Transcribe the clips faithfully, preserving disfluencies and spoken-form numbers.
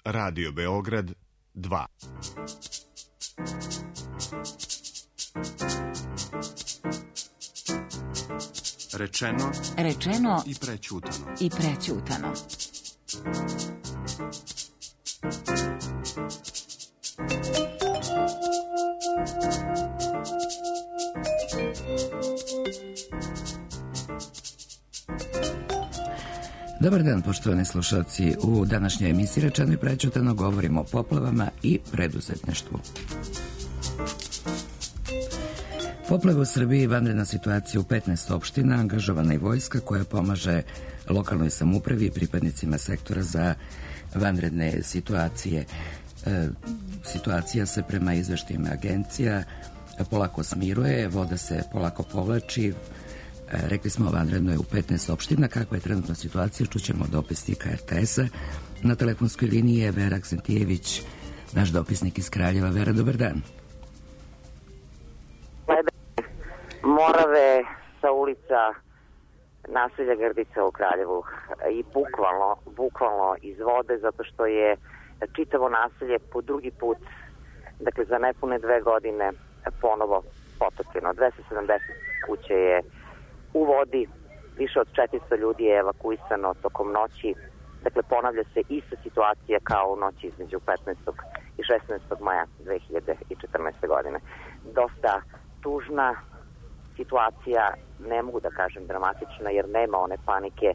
Radio Beograd dva. Rečeno, rečeno i prećutano. I prećutano. Dobar dan, poštovani slušalci. U današnjoj emisiji Rečeno i prećutano govorimo o poplavama i preduzetništvu. Poplave u Srbiji, vanredna situacija u petnaest opština, angažovana i vojska koja pomaže lokalnoj samoupravi i pripadnicima sektora za vanredne situacije. E, situacija se prema izveštajima agencija polako smiruje, voda se polako povlači. E, rekli smo vanredno je u petnaest opština. Kakva je trenutna situacija? Čućemo dopisnika R T S-a. Na telefonskoj liniji je Vera Aksentijević, naš dopisnik iz Kraljeva. Vera, dobar dan. Morave sa ulica naselja Grdica u Kraljevu i bukvalno, bukvalno iz vode, zato što je čitavo naselje po drugi put, dakle za nepune dve godine, ponovo potopljeno. dvesta sedamdeset kuće je u vodi, više od četiristo ljudi je evakuisano tokom noći. Dakle, ponavlja se ista situacija kao u noći između petnaestog i šesnaestog maja dve hiljade četrnaeste. godine. Dosta tužna situacija, ne mogu da kažem dramatična, jer nema one panike.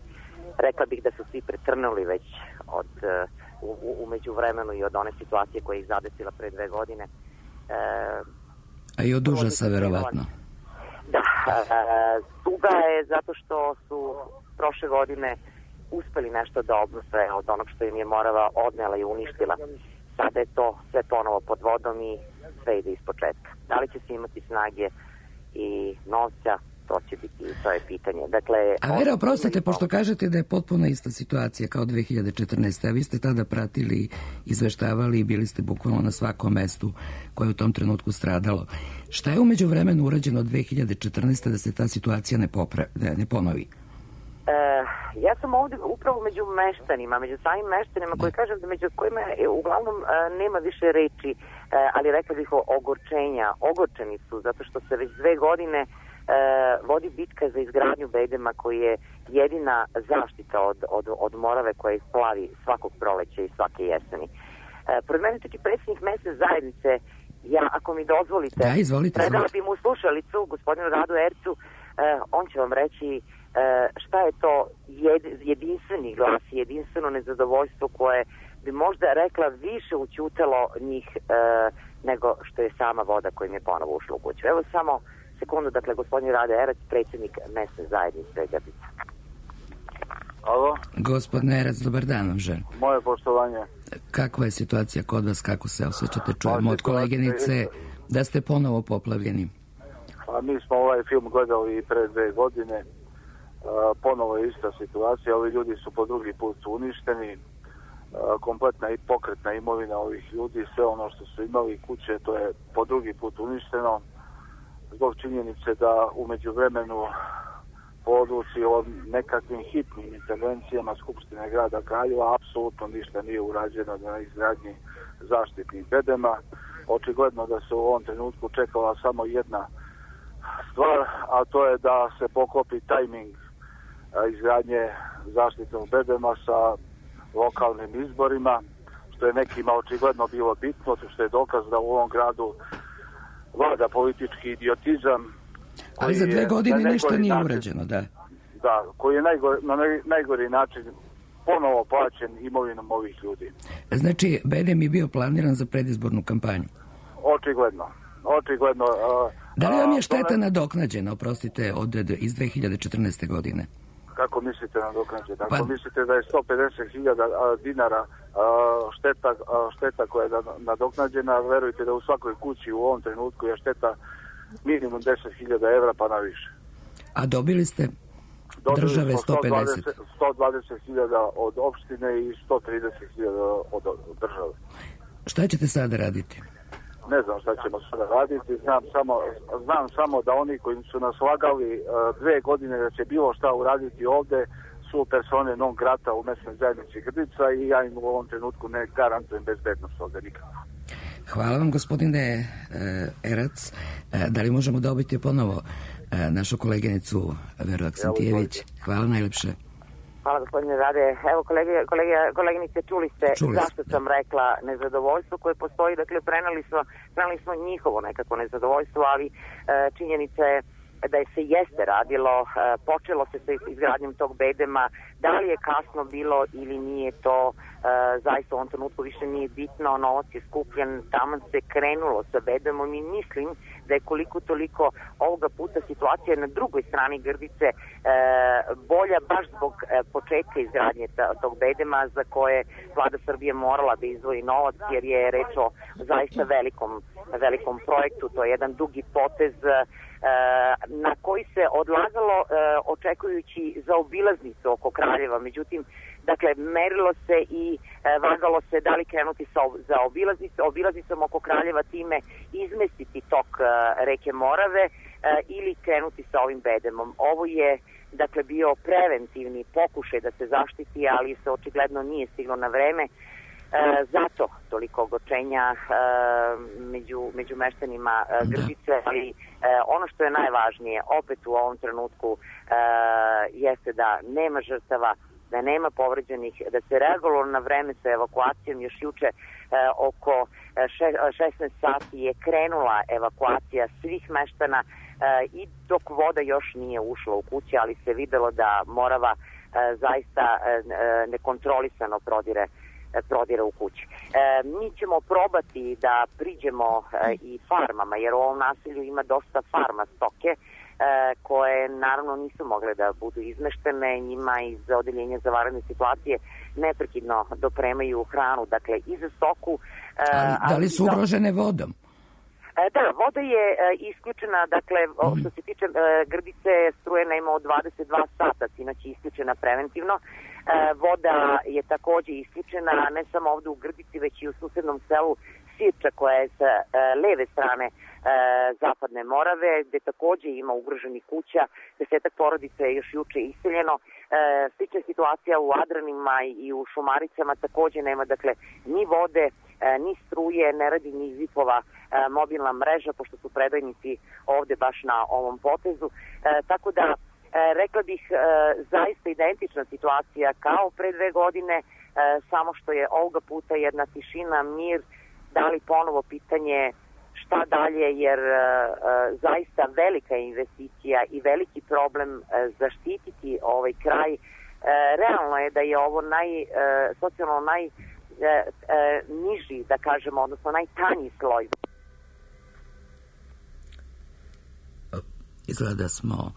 Rekla bih da su svi pretrnuli već od, u, u međuvremenu i od one situacije koja ih zadesila pre dve godine. E, A i od užasa, verovatno. Da, e, tuga je zato što su prošle godine uspeli nešto da obnove od onog što im je Morava odnela i uništila. Sada je to sve ponovo pod vodom i sve ide iz početka. Da li će se imati snage i novca, to će biti, to je pitanje. Dakle, a Vera, oprostite, pošto kažete da je potpuno ista situacija kao dve hiljade četrnaeste. a vi ste tada pratili, izveštavali i bili ste bukvalno na svakom mestu koje je u tom trenutku stradalo. Šta je umeđu vremenu urađeno od dve hiljade četrnaeste. da se ta situacija ne, popra, ne ponovi? E, ja sam ovdje upravo među meštanima, među samim meštanima koji kažem da među kojima je, uglavnom e, nema više reči, e, ali rekla bih o ogorčenja. Ogorčeni su zato što se već dve godine e, vodi bitka za izgradnju bedema koji je jedina zaštita od, od, od Morave koja ih plavi svakog proleća i svake jeseni. E, pored mene čak i predsjednik mesne zajednice, ja ako mi dozvolite, da, izvolite, predala bi mu slušalicu, gospodinu Radu Ercu, e, on će vam reći šta je to jedinstveni glas, jedinstveno nezadovoljstvo koje bi možda rekla više ućutalo njih e, nego što je sama voda kojim je ponovo ušla u kuću. Evo samo sekundu, dakle, gospodin Rade Erac, predsjednik mesne zajednice Grdica. Alo? Gospodin Erac, dobar dan vam želim. Moje poštovanje. Kakva je situacija kod vas, kako se osjećate? Čujemo od koleginice da ste ponovo poplavljeni. A mi smo ovaj film gledali pre dve godine. Uh, ponovo je ista situacija, ovi ljudi su po drugi put uništeni, uh, kompletna i pokretna imovina ovih ljudi, sve ono što su imali kuće, to je po drugi put uništeno, zbog činjenice da u međuvremenu po odluci o nekakvim hitnim intervencijama Skupštine grada Kraljeva apsolutno ništa nije urađeno na izgradnji zaštitnih bedema. Očigledno da se u ovom trenutku čekala samo jedna stvar, a to je da se poklopi tajming izgradnje zaštitnog bedema sa lokalnim izborima, što je nekima očigledno bilo bitno, što je dokaz da u ovom gradu vlada politički idiotizam. Ali za dve godine ništa nije način, urađeno, da. Da, koji je najgori, na najgori način ponovo plaćen imovinom ovih ljudi. Znači, bedem je bio planiran za predizbornu kampanju? Očigledno. Očigledno. Uh, da li vam je šteta ne... nadoknađena, oprostite, od, iz dve hiljade četrnaeste. godine? Kako mislite nadoknađena? Ako pa... mislite da je sto pedeset hiljada dinara šteta, šteta koja je nadoknađena, verujte da u svakoj kući u ovom trenutku je šteta minimum deset hiljada evra pa na više. A dobili ste dobili države sto pedeset? sto dvadeset hiljada od opštine i sto trideset hiljada od države. Šta ćete sada raditi? Ne znam šta ćemo sada raditi, znam samo, znam samo da oni koji su nas lagali uh, dve godine da će bilo šta uraditi ovde su persone non grata u mesnoj zajednici Grdica i ja im u ovom trenutku ne garantujem bezbednost ovde nikako. Hvala vam, gospodine uh, Erac. Uh, da li možemo dobiti ponovo uh, našu koleginicu Veru Aksentijević? Hvala najlepše. Hvala, gospodine Rade. Evo, kolege, kolege, koleginice, čuli ste čuli zašto sam rekla nezadovoljstvo koje postoji. Dakle, preneli smo, preneli smo njihovo nekako nezadovoljstvo, ali uh, činjenica je da je se jeste radilo, uh, počelo se sa izgradnjom tog bedema, da li je kasno bilo ili nije to, uh, zaista u ovom trenutku više nije bitno, novac je skupljen, tamo se krenulo sa bedemom i mislim da je koliko toliko ovoga puta situacija na drugoj strani Grdice uh, bolja baš zbog uh, početka izgradnje tog bedema za koje vlada Srbije morala da izdvoji novac jer je reč o zaista velikom, velikom projektu, to je jedan dugi potez na koji se odlagalo očekujući za obilaznicu oko Kraljeva. Međutim, dakle, merilo se i vagalo se da li krenuti sa, za obilaznicu, obilaznicom oko Kraljeva, time izmestiti tok reke Morave ili krenuti sa ovim bedemom. Ovo je, dakle, bio preventivni pokušaj da se zaštiti, ali se očigledno nije stiglo na vreme. E, zato toliko ogorčenja e, među, među meštanima e, Grdice, ali e, ono što je najvažnije opet u ovom trenutku e, jeste da nema žrtava, da nema povređenih, da se reagovalo na vreme sa evakuacijom. Još juče e, oko šesnaest sati je krenula evakuacija svih meštana e, i dok voda još nije ušla u kuće, ali se videlo da Morava e, zaista e, nekontrolisano prodire prodire u kući. E, mi ćemo probati da priđemo e, i farmama, jer u ovom naselju ima dosta farma stoke e, koje naravno nisu mogle da budu izmeštene. Njima iz odeljenja za vanredne situacije neprekidno dopremaju hranu, dakle i za stoku. E, ali, da li su ugrožene vodom? E, da, voda je e, isključena, dakle, mm. što se tiče e, Grdice, struje nema od dvadeset dva sata, sinoć je isključena preventivno. E, voda je takođe isključena, ne samo ovde u Grdici, već i u susednom selu Sirča, koja je sa e, leve strane e, zapadne Morave, gde takođe ima ugroženih kuća, desetak porodica je još juče iseljeno. E, slična situacija u Adranima i u Šumaricama, takođe nema, dakle, ni vode, e, ni struje, ne radi ni zipova e, mobilna mreža, pošto su predajnici ovde baš na ovom potezu. E, tako da, E, rekla bih e, zaista identična situacija kao pre dve godine, e, samo što je ovoga puta jedna tišina, mir, da li ponovo pitanje šta dalje, jer e, zaista velika investicija i veliki problem e, zaštititi ovaj kraj. E, realno je da je ovo naj, e, socijalno najniži, da kažemo, odnosno najtanji sloj. Izgleda da smo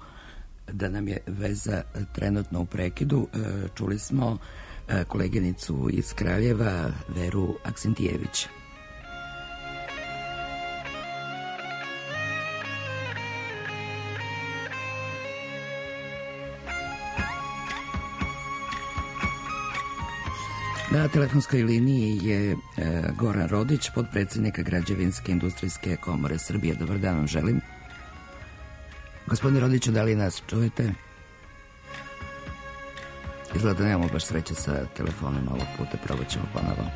da nam je veza trenutno u prekidu. Čuli smo koleginicu iz Kraljeva, Veru Aksentijević. Na telefonskoj liniji je Goran Rodić, potpredsjednika Građevinske industrijske komore Srbije. Dobar dan vam želim. Gospodine Rodiću, da li nas čujete? Izgleda da nemamo baš sreće sa telefonom ovog puta, probat ćemo ponovo.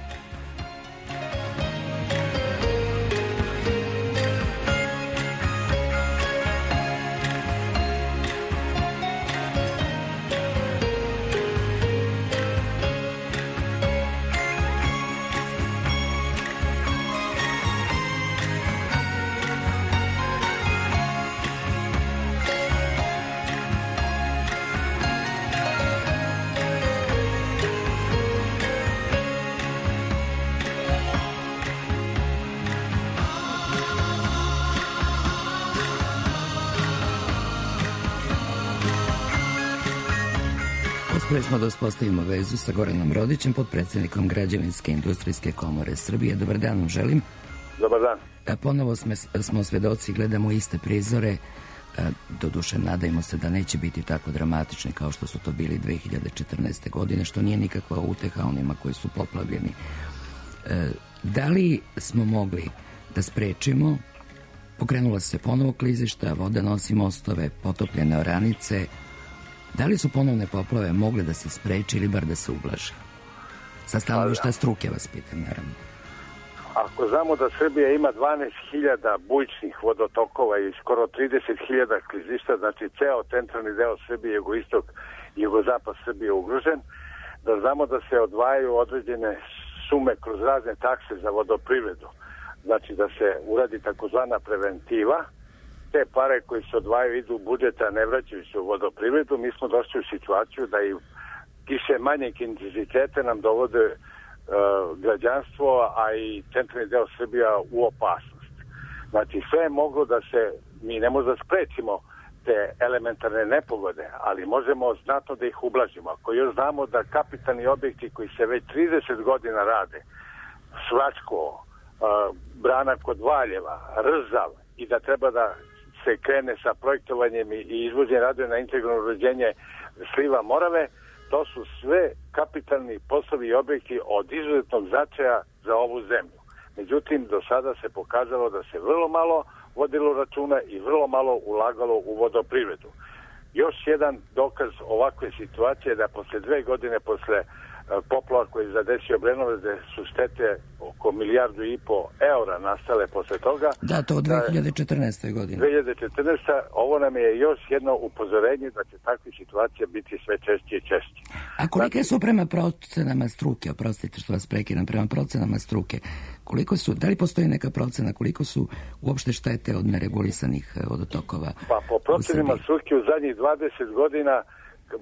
Uspeli smo da uspostavimo vezu sa Goranom Rodićem, potpredsjednikom Građevinske industrijske komore Srbije. Dobar dan vam želim. Dobar dan. Ponovo sme, smo svedoci, gledamo iste prizore. Doduše, nadajmo se da neće biti tako dramatični kao što su to bili dve hiljade četrnaeste. godine, što nije nikakva uteha onima koji su poplavljeni. Da li smo mogli da sprečimo? Pokrenula se ponovo klizišta, voda nosi mostove, potopljene oranice. Da li su ponovne poplave mogle da se spreči ili bar da se ublaže? Sa stanovišta struke vas pitam, naravno. Ako znamo da Srbija ima dvanaest hiljada bujičnih vodotokova i skoro trideset hiljada klizišta, znači ceo centralni deo Srbije, jugoistok i jugozapad Srbije je ugrožen, da znamo da se odvajaju određene sume kroz razne takse za vodoprivredu, znači da se uradi takozvana preventiva, te pare koji se odvajaju idu u budžeta, ne vraćaju se u vodoprivredu. Mi smo došli u situaciju da i kiše manjeg intenzitete nam dovode uh, građanstvo, a i centralni deo Srbija u opasnost. Znači sve je moglo da se, mi ne možemo da sprečimo te elementarne nepogode, ali možemo znatno da ih ublažimo. Ako još znamo da kapitalni objekti koji se već trideset godina rade, Svračko, uh, brana kod Valjeva, Rzav, i da treba da se krene sa projektovanjem i izvođenjem radova na integralno uređenje sliva Morave, to su sve kapitalni poslovi i objekti od izuzetnog značaja za ovu zemlju. Međutim, do sada se pokazalo da se vrlo malo vodilo računa i vrlo malo ulagalo u vodoprivredu. Još jedan dokaz ovakve situacije da posle dve godine posle poplava koji je zadesio Obrenovac, da su štete oko milijardu i po eura nastale posle toga. Da, to od dve hiljade četrnaeste. godine. dve hiljade četrnaeste. Ovo nam je još jedno upozorenje da će takve situacije biti sve češće i češće. A kolike su prema procenama struke, oprostite što vas prekidam, prema procenama struke, koliko su, da li postoji neka procena, koliko su uopšte štete od neregulisanih vodotokova? Pa po procenima struke u zadnjih dvadeset godina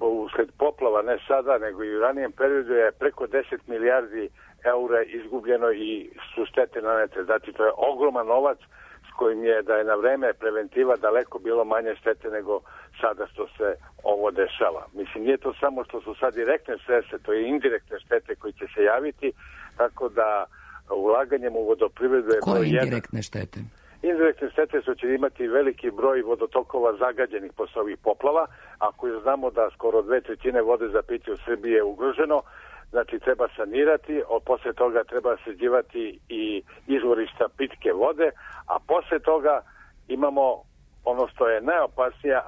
usled poplava, ne sada, nego i u ranijem periodu je preko deset milijardi eura izgubljeno i su štete nanete. Znači, to je ogroman novac s kojim je da je na vreme preventiva daleko bilo manje štete nego sada što se ovo dešava. Mislim, nije to samo što su sad direktne štete, to je indirektne štete koji će se javiti, tako da ulaganjem u vodoprivredu je... Koje indirektne štete? Indirektne štete su će imati veliki broj vodotokova zagađenih posle ovih poplava. Ako znamo da skoro dve trećine vode za piće u Srbiji je ugroženo, znači treba sanirati, a posle toga treba sređivati i izvorišta pitke vode, a posle toga imamo ono što je najopasnije,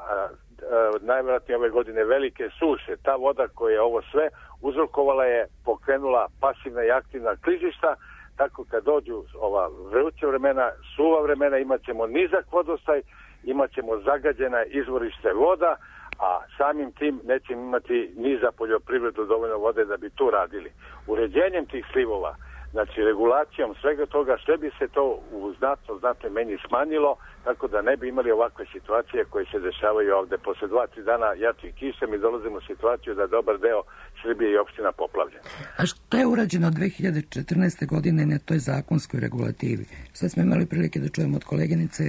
najvjerojatnije ove godine velike suše. Ta voda koja je ovo sve uzrokovala je, pokrenula pasivna i aktivna klizišta, tako kad dođu ova vruća vremena, suva vremena, imat ćemo nizak vodostaj, imat ćemo zagađena izvorište voda, a samim tim nećemo imati ni za poljoprivredu dovoljno vode da bi tu radili. Uređenjem tih slivova, znači regulacijom svega toga, sve bi se to u znatno, znatno meni smanjilo, tako da ne bi imali ovakve situacije koje se dešavaju ovde. Posle dva, tri dana jačih kiša mi dolazimo u situaciju da dobar deo Srbije i opština poplavljen. A što je urađeno od dve hiljade četrnaeste. godine na toj zakonskoj regulativi? Sad smo imali prilike da čujemo od koleginice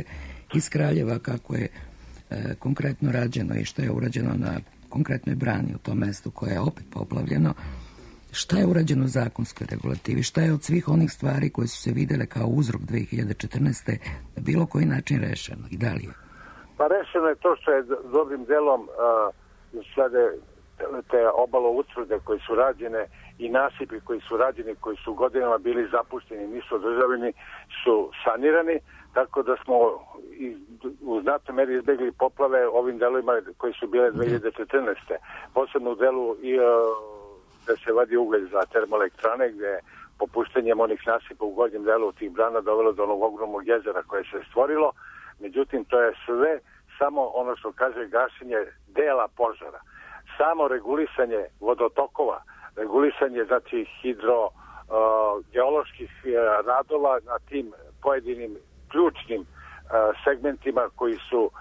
iz Kraljeva kako je e, konkretno rađeno i što je urađeno na konkretnoj brani u tom mestu koje je opet poplavljeno. Šta je urađeno u zakonskoj regulativi? Šta je od svih onih stvari koje su se videle kao uzrok dve hiljade četrnaeste. na bilo koji način rešeno i da li je? Pa rešeno je to što je dobrim delom uh, sada te obalo utvrde koje su rađene i nasipi koji su rađeni, koji su godinama bili zapušteni, nisu održavani, su sanirani, tako da smo u znatnoj meri izbegli poplave ovim delovima koji su bile dve hiljade četrnaeste. Posebno u delu i uh, da se vadi ugalj za termoelektrane, gde je popuštenjem onih nasipa u gornjem delu tih brana dovelo do onog ogromnog jezera koje se stvorilo. Međutim, to je sve samo ono što kaže gašenje dela požara. Samo regulisanje vodotokova, regulisanje znači hidro uh, geoloških uh, radova na tim pojedinim ključnim uh, segmentima koji su uh,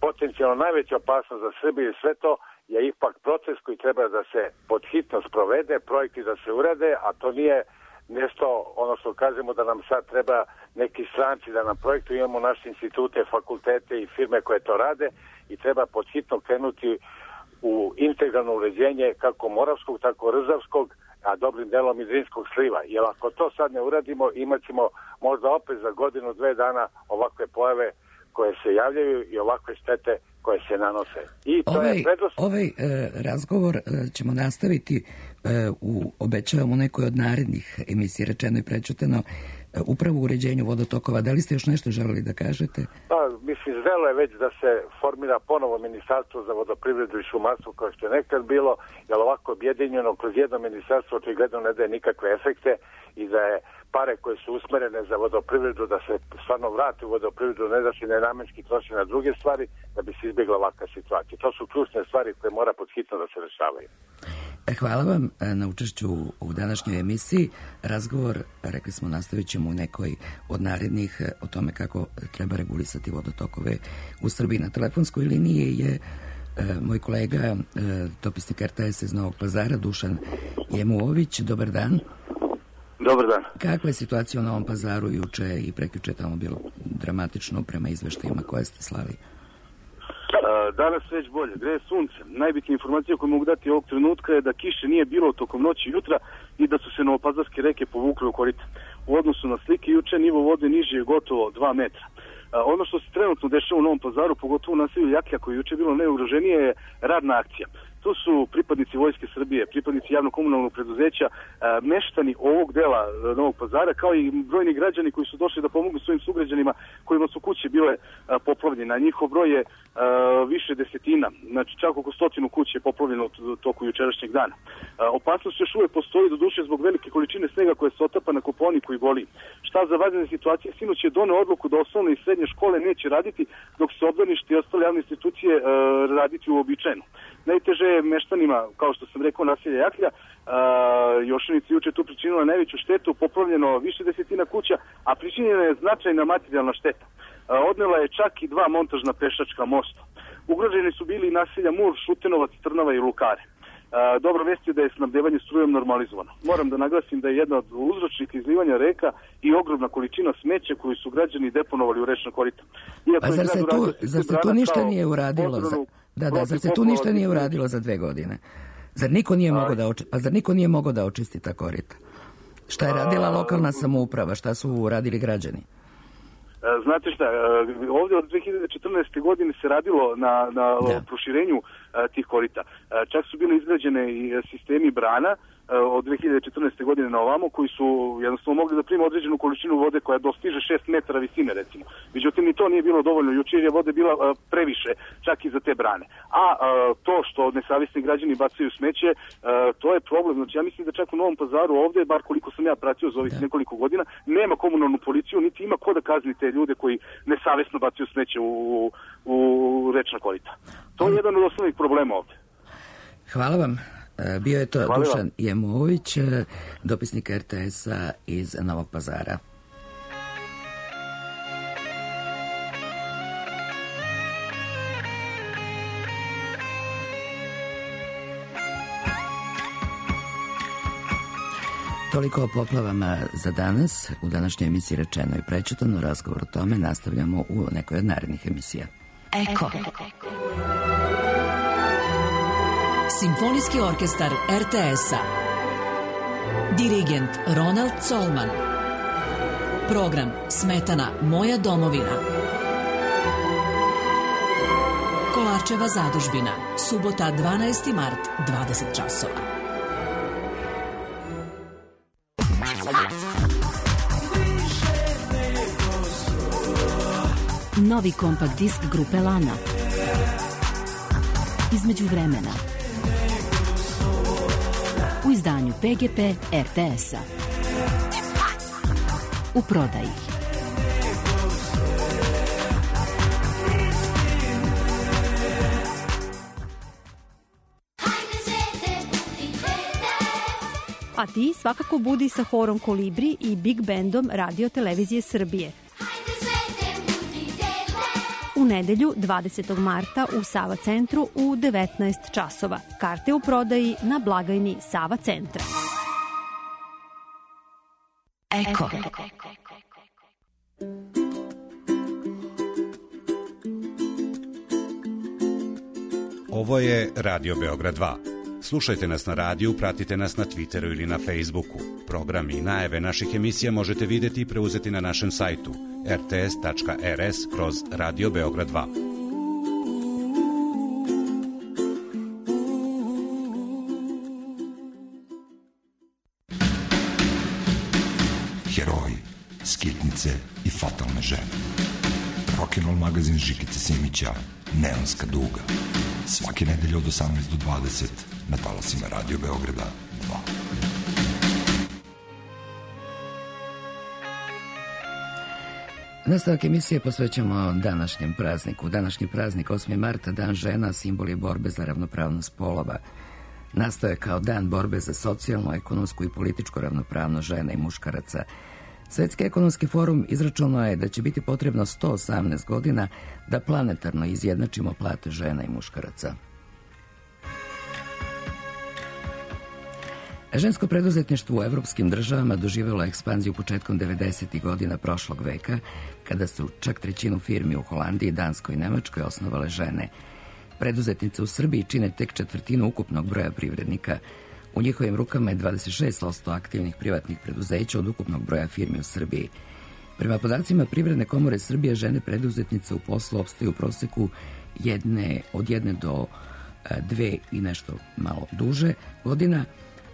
potencijalno najveća opasnost za Srbiju i sve to je ipak proces koji treba da se podhitno sprovede, projekti da se urade, a to nije nešto, ono što kažemo da nam sad treba neki stranci da nam projektu, imamo naše institute, fakultete i firme koje to rade i treba podhitno krenuti u integralno uređenje kako Moravskog, tako Rzavskog, a dobrim delom i Drinskog sliva. Jer ako to sad ne uradimo, imat ćemo možda opet za godinu, dve dana ovakve pojave koje se javljaju i ovakve štete koje se nanose. I to ovaj je predost... ovaj e, razgovor e, ćemo nastaviti e, u, obećavam u nekoj od narednih emisija, rečeno i prečuteno, upravo u uređenju vodotokova. Da li ste još nešto želeli da kažete? Pa, mislim, zrelo je već da se formira ponovo ministarstvo za vodoprivredu i šumarstvo kao što je nekad bilo, jer ovako objedinjeno kroz jedno ministarstvo očigledno ne daje nikakve efekte i da je pare koje su usmerene za vodoprivredu da se stvarno vrati u vodoprivredu, ne da se nenamenski troši na druge stvari, da bi se izbjegla ovakva situacija. To su ključne stvari koje mora podhitno da se rešavaju. Hvala vam na učešću u današnjoj emisiji. Razgovor, rekli smo, nastavit ćemo u nekoj od narednih o tome kako treba regulisati vodotokove u Srbiji. Na telefonskoj liniji je e, moj kolega, e, dopisnik er te es iz Novog Pazara, Dušan Jemuović. Dobar dan. Dobar dan. Kakva je situacija u Novom Pazaru juče i prekjuče? Tamo bilo dramatično prema izveštajima koje ste slali. Danas već bolje, greje sunce. Najbitnija informacija koju mogu dati ovog trenutka je da kiše nije bilo tokom noći i jutra i da su se novopazarske reke povukle u korita. U odnosu na slike juče nivo vode niži je gotovo dva metra. Ono što se trenutno dešava u Novom Pazaru, pogotovo u naselju Jakija koje je juče bilo najugroženije, je radna akcija. Tu su pripadnici Vojske Srbije, pripadnici javno-komunalnog preduzeća, meštani ovog dela Novog Pazara, kao i brojni građani koji su došli da pomognu svojim sugrađanima kojima su kuće bile poplavljene. Njihov broj je više desetina, znači čak oko stotinu kuće je poplavljeno u toku jučerašnjeg dana. Opasnost još uvijek postoji, doduše zbog velike količine snega koje se otapa na Kopaoniku i Goliji. Šta za vanredne situacije? Sinoć je doneo odluku da osnovne i srednje škole neće raditi, dok se obdanište i ostale javne institucije raditi uobičajeno. Najteže je meštanima, kao što sam rekao, naselja Jaklja. Jošanici juče tu pričinila najveću štetu, poplavljeno više desetina kuća, a pričinjena je značajna materijalna šteta. Odnela je čak i dva montažna pešačka mosta. Ugroženi su bili naselja Mur, Šutenovac, Trnava i Lukare. Dobro vest je da je snabdevanje strujom normalizovano. Moram da naglasim da je jedna od uzročnika izlivanja reka i ogromna količina smeća koju su građani deponovali u rečna korita. Iako pa zar se tu, zar se tu ništa nije uradilo? Za, da, da, zar se tu ništa nije uradilo za dve godine? Zar niko nije mogao da oči, pa zar niko nije mogao da očisti ta korita? Šta je radila lokalna samouprava? Šta su radili građani? Znate šta, ovdje od dve hiljade četrnaeste. godine se radilo na, na ja. proširenju tih korita. Čak su bile izgrađene i sistemi brana od dve hiljade četrnaeste. godine na ovamo, koji su jednostavno mogli da prime određenu količinu vode koja dostiže šest metara visine, recimo. Međutim, ni to nije bilo dovoljno. Juče je vode bila previše, čak i za te brane. A to što nesavjesni građani bacaju smeće, to je problem. Znači, ja mislim da čak u Novom Pazaru ovdje, bar koliko sam ja pratio za ovih da. nekoliko godina, nema komunalnu policiju, niti ima ko da kazni te ljude koji nesavjesno bacaju smeće u, u rečna korita. To je jedan od osnovnih problema ovdje. Hvala vam. Bio je to Hvala Dušan vam. Jemović, dopisnik er te es-a iz Novog Pazara. Toliko o poplavama za danas. U današnjoj emisiji Rečeno i prečitano. Razgovor o tome nastavljamo u nekoj od narednih emisija. Eko. Simfonijski orkestar er te es-a. Dirigent Ronald Colman. Program Smetana Moja domovina. Kolarčeva zadužbina. Subota dvanaesti mart, dvadeset časova. Novi kompakt disk grupe Lana. Između vremena. U izdanju pe ge pe er te es-a. U prodaji. A ti svakako budi sa horom Kolibri i Big Bandom Radio Televizije Srbije. U nedelju dvadesetog marta u Sava centru u devetnaest časova. Karte u prodaji na blagajni Sava centra. Eko. Ovo je Radio Beograd dva. Slušajte nas na radiju, pratite nas na Twitteru ili na Facebooku. Programi i najave naših emisija možete vidjeti i preuzeti na našem sajtu er te es tačka er es kroz Radio Beograd dva. Heroji, skitnice i fatalne žene. Rock'n'Roll magazin Žikice Simića, Neonska duga. Svake nedelje od osamnaest do dvadeset na talasima Radio Beograda dva. Nastavak emisije posvećamo današnjem prazniku. Današnji praznik osmi marta, Dan žena, simbol je borbe za ravnopravnost polova. Nastao je kao dan borbe za socijalnu, ekonomsku i političku ravnopravnost žena i muškaraca. Svetski ekonomski forum izračunao je da će biti potrebno sto osamnaest godina da planetarno izjednačimo plate žena i muškaraca. Žensko preduzetništvo u evropskim državama doživjelo ekspanziju početkom devedesetih godina prošlog veka, kada su čak trećinu firmi u Holandiji, Danskoj i Nemačkoj osnovale žene. Preduzetnice u Srbiji čine tek četvrtinu ukupnog broja privrednika. U njihovim rukama je dvadeset šest posto aktivnih privatnih preduzeća od ukupnog broja firmi u Srbiji. Prema podacima Privredne komore Srbije, žene preduzetnice u poslu opstaju u proseku jedne, od jedne do dve i nešto malo duže godina,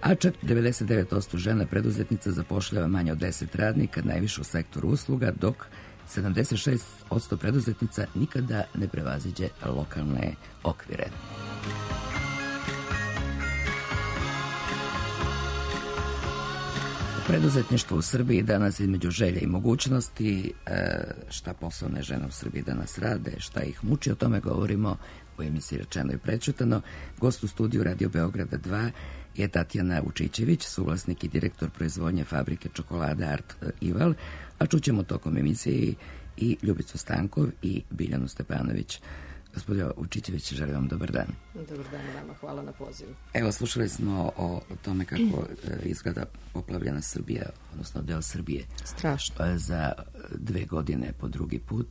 a čak devedeset devet posto žena preduzetnica zapošljava manje od deset radnika, najviše u sektoru usluga, dok sedamdeset šest posto preduzetnica nikada ne prevaziđe lokalne okvire. Preduzetništvo u Srbiji danas između želja i mogućnosti, šta poslovne žene u Srbiji danas rade, šta ih muči, o tome govorimo u emisiji Rečeno i prećutano. Gost u studiju Radio Beograda dva je Tatjana Vučićević, suvlasnik i direktor proizvodnje fabrike čokolade Art Ival, a čućemo tokom emisije i Ljubicu Stankov i Biljanu Stepanović. Gospodin Vučićević, želim vam dobar dan. Dobar dan vama, hvala na pozivu. Evo, slušali smo o tome kako izgleda poplavljena Srbija, odnosno deo Srbije. Strašno. Za dve godine po drugi put.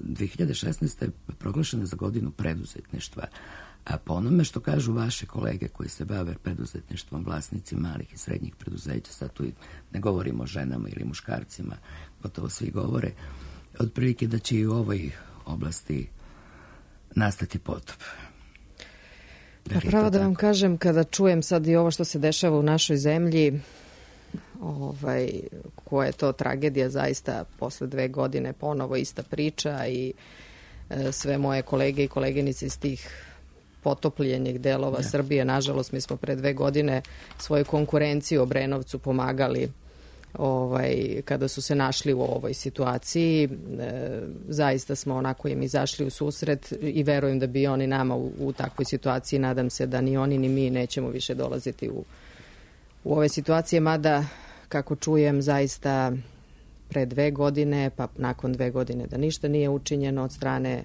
dve hiljade šesnaeste. proglašena za godinu preduzetništva. A po onome što kažu vaše kolege koji se bave preduzetništvom, vlasnici malih i srednjih preduzeća, sad tu ne govorimo o ženama ili muškarcima, gotovo svi govore, otprilike da će i u ovoj oblasti nastati potop. Pa pravo da vam kažem, kada čujem sad i ovo što se dešava u našoj zemlji, ovaj, koja je to tragedija zaista, posle dve godine ponovo ista priča i e, sve moje kolege i koleginice iz tih potopljenih delova ja. Srbije, nažalost mi smo pre dve godine svoju konkurenciju Obrenovcu pomagali ovaj, kada su se našli u ovoj situaciji. E, zaista smo onako im izašli u susret i verujem da bi oni nama u, u takvoj situaciji, nadam se da ni oni ni mi nećemo više dolaziti u, u ove situacije, mada kako čujem zaista pre dve godine, pa nakon dve godine da ništa nije učinjeno od strane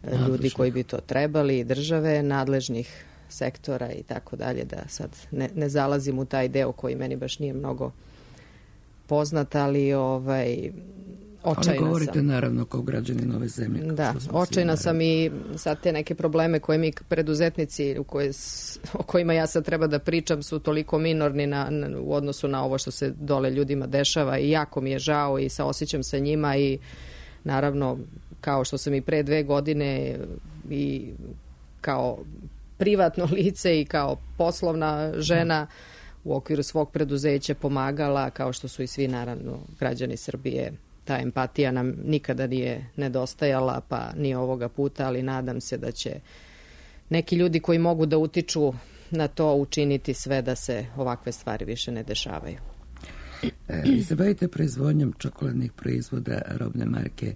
nadležnih ljudi koji bi to trebali, države, nadležnih sektora i tako dalje, da sad ne, ne zalazim u taj deo koji meni baš nije mnogo poznat, ali ovaj, očajna sam. govorite naravno kao građanin ove zemlje. Da, očajna sam i sad te neke probleme koje mi preduzetnici u koje, o kojima ja sad treba da pričam su toliko minorni na, na, u odnosu na ovo što se dole ljudima dešava i jako mi je žao i saosećam sa njima i naravno kao što sam i pre dve godine i kao privatno lice i kao poslovna žena u okviru svog preduzeća pomagala, kao što su i svi naravno građani Srbije. Ta empatija nam nikada nije nedostajala, pa ni ovoga puta, ali nadam se da će neki ljudi koji mogu da utiču na to učiniti sve da se ovakve stvari više ne dešavaju. E, vi se bavite proizvodnjom čokoladnih proizvoda robne marke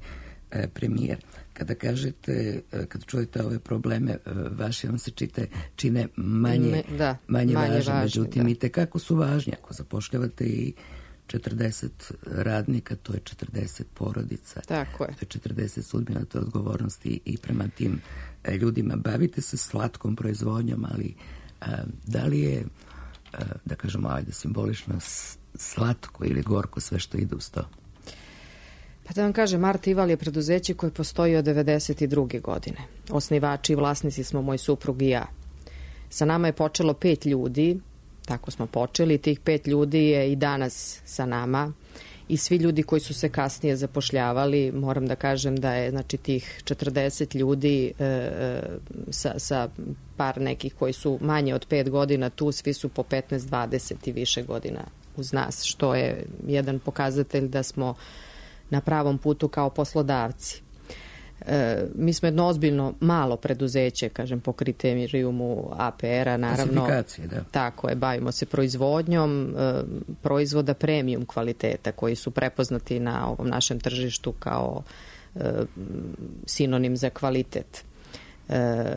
e, Premijer. Kada kažete, kada čujete ove probleme, vaši vam se čite, čine manje, Me, da, manje, manje važne, važne, međutim da. I tekako su važni. Ako zapošljavate i četrdeset radnika, to je četrdeset porodica. Tako je. To je četrdeset sudbina, to je odgovornosti i prema tim ljudima. Bavite se slatkom proizvodnjom, ali a, da li je, a, da kažemo, ajde, simbolično slatko ili gorko sve što ide uz to? Pa da vam kažem, Art Ival je preduzeće koje postoji od devedeset druge godine. Osnivači i vlasnici smo moj suprug i ja. Sa nama je počelo pet ljudi, tako smo počeli, tih pet ljudi je i danas sa nama i svi ljudi koji su se kasnije zapošljavali, moram da kažem da je znači tih četrdeset ljudi e, sa, sa par nekih koji su manje od pet godina tu, svi su po petnaest dvadeset i više godina uz nas, što je jedan pokazatelj da smo na pravom putu kao poslodavci. E, mi smo jedno ozbiljno malo preduzeće, kažem, po kriterijumu A P R-a, naravno. Klasifikacije, da. Tako je, bavimo se proizvodnjom e, proizvoda premium kvaliteta koji su prepoznati na ovom našem tržištu kao e, sinonim za kvalitet. E,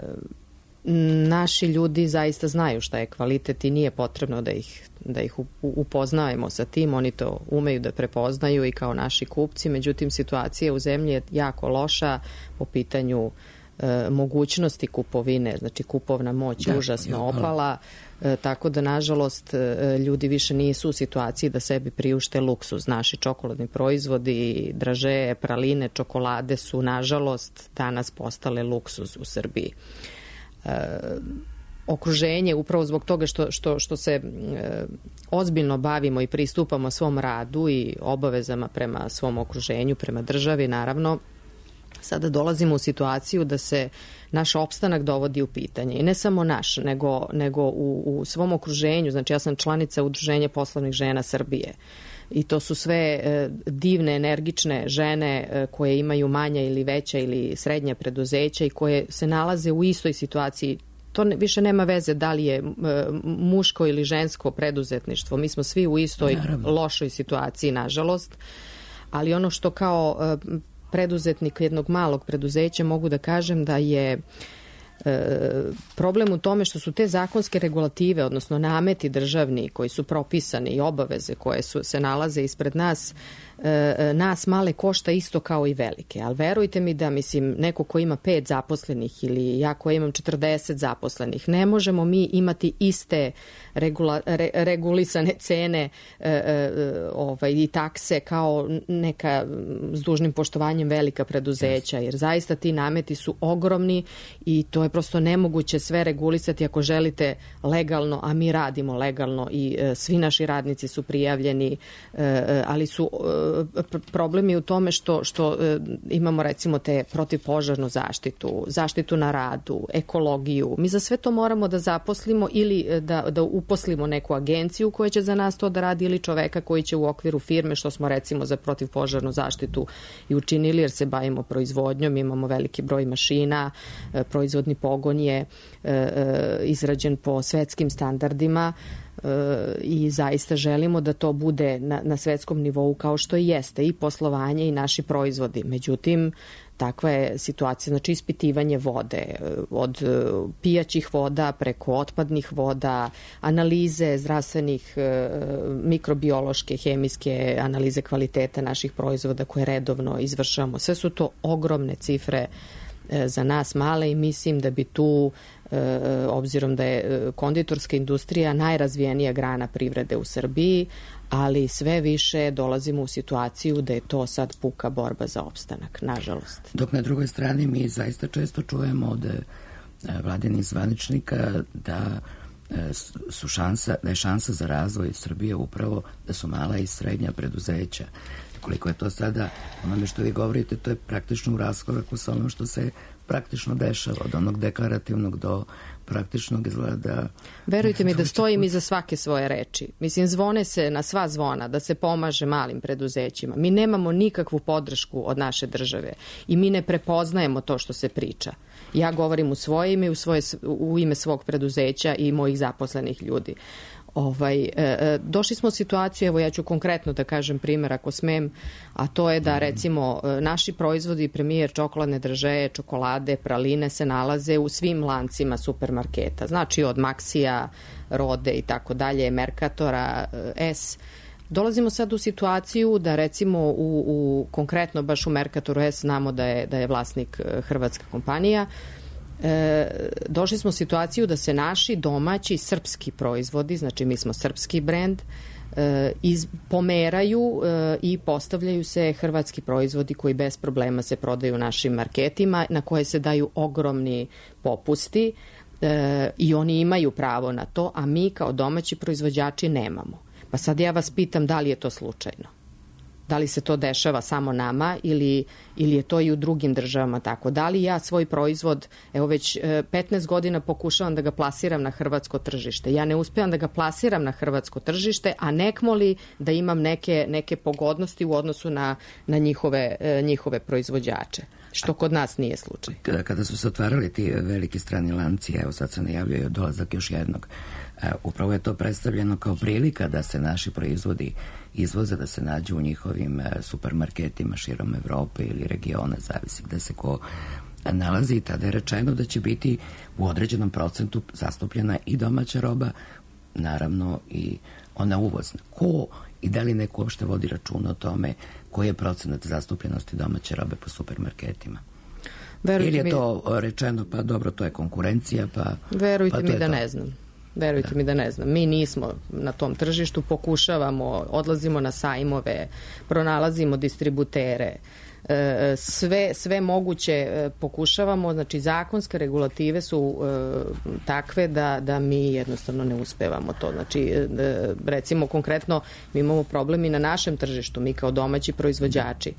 naši ljudi zaista znaju šta je kvalitet i nije potrebno da ih, da ih upoznajemo sa tim, oni to umeju da prepoznaju i kao naši kupci, međutim situacija u zemlji je jako loša po pitanju e, mogućnosti kupovine, znači kupovna moć je užasno opala, e, tako da nažalost e, ljudi više nisu u situaciji da sebi priušte luksuz. Naši čokoladni proizvodi, draže, praline, čokolade su nažalost danas postale luksuz u Srbiji. E, okruženje, upravo zbog toga što, što, što se e, ozbiljno bavimo i pristupamo svom radu i obavezama prema svom okruženju, prema državi, naravno, sada dolazimo u situaciju da se naš opstanak dovodi u pitanje. I ne samo naš, nego, nego u, u svom okruženju. Znači, ja sam članica Udruženja poslovnih žena Srbije. I to su sve e, divne, energične žene e, koje imaju manja ili veća ili srednja preduzeća i koje se nalaze u istoj situaciji. To ne, više nema veze da li je e, muško ili žensko preduzetništvo. Mi smo svi u istoj Naravno. lošoj situaciji, nažalost. Ali ono što kao e, preduzetnik jednog malog preduzeća mogu da kažem da je E, problem u tome što su te zakonske regulative, odnosno nameti državni koji su propisani i obaveze koje su, se nalaze ispred nas, e, nas male košta isto kao i velike. Ali verujte mi da, mislim, neko ko ima pet zaposlenih ili ja ko imam četrdeset zaposlenih, ne možemo mi imati iste regula, re, regulisane cene e, e, ovaj, i takse kao neka s dužnim poštovanjem velika preduzeća, jer zaista ti nameti su ogromni i to je prosto nemoguće sve regulisati ako želite legalno, a mi radimo legalno i e, svi naši radnici su prijavljeni, e, ali su e, problemi u tome što, što e, imamo recimo te protivpožarnu zaštitu, zaštitu na radu, ekologiju. Mi za sve to moramo da zaposlimo ili da, da uposlimo neku agenciju koja će za nas to da radi ili čoveka koji će u okviru firme, što smo recimo za protivpožarnu zaštitu i učinili jer se bavimo proizvodnjom, imamo veliki broj mašina, e, proizvodni pogon je e, izrađen po svetskim standardima e, i zaista želimo da to bude na, na svetskom nivou kao što i jeste i poslovanje i naši proizvodi. Međutim, takva je situacija, znači ispitivanje vode, od pijaćih voda preko otpadnih voda, analize zdravstvenih, mikrobiološke, hemijske analize kvaliteta naših proizvoda koje redovno izvršamo. Sve su to ogromne cifre za nas male i mislim da bi tu, obzirom da je konditorska industrija najrazvijenija grana privrede u Srbiji, ali sve više dolazimo u situaciju da je to sad puka borba za opstanak, nažalost. Dok na drugoj strani mi zaista često čujemo od vladinih zvaničnika da su šansa, da je šansa za razvoj Srbije upravo da su mala i srednja preduzeća. Koliko je to sada, onome što vi govorite, to je praktično u raskoraku sa ono što se praktično dešava, od onog deklarativnog do praktičnog izgleda. Verujte mi da stojim iza svake svoje reči. Mislim, zvone se na sva zvona da se pomaže malim preduzećima. Mi nemamo nikakvu podršku od naše države i mi ne prepoznajemo to što se priča. Ja govorim u svoje ime i u, svoje, u ime svog preduzeća i mojih zaposlenih ljudi. Ovaj, e, došli smo u situaciju, evo ja ću konkretno da kažem primjer ako smem, a to je da recimo naši proizvodi, premijer, čokoladne dražeje, čokolade, praline se nalaze u svim lancima supermarketa, znači od Maxija, Rode i tako dalje, Merkatora, S. Dolazimo sad u situaciju da recimo u, u konkretno baš u Merkatoru S znamo da je, da je vlasnik hrvatska kompanija. E, došli smo u situaciju da se naši domaći srpski proizvodi, znači mi smo srpski brend, e, iz, pomeraju e, i postavljaju se hrvatski proizvodi koji bez problema se prodaju u našim marketima, na koje se daju ogromni popusti e, i oni imaju pravo na to, a mi kao domaći proizvođači nemamo. Pa sad ja vas pitam da li je to slučajno? Da li se to dešava samo nama ili, ili je to i u drugim državama tako? Da li ja svoj proizvod, evo već petnaest godina pokušavam da ga plasiram na hrvatsko tržište. Ja ne uspevam da ga plasiram na hrvatsko tržište, a nekmo li da imam neke, neke pogodnosti u odnosu na, na njihove, njihove proizvođače, što kod nas nije slučaj. Kada su se otvarali ti veliki strani lanci, evo sad se najavljaju dolazak još jednog, upravo je to predstavljeno kao prilika da se naši proizvodi izvoze, da se nađu u njihovim supermarketima širom Evrope ili regiona, zavisi gde se ko nalazi. I tada je rečeno da će biti u određenom procentu zastupljena i domaća roba, naravno i ona uvozna. Ko i da li neko uopšte vodi račun o tome koji je procenat zastupljenosti domaće robe po supermarketima? Verujte ili je to mi... rečeno, pa dobro, to je konkurencija, pa... Verujte pa mi da to. ne znam. Verujte da. mi da ne znam. Mi nismo na tom tržištu, pokušavamo, odlazimo na sajmove, pronalazimo distributere, sve, sve moguće pokušavamo, znači zakonske regulative su takve da, da mi jednostavno ne uspevamo to. Znači, recimo konkretno, mi imamo problem i na našem tržištu, mi kao domaći proizvođači.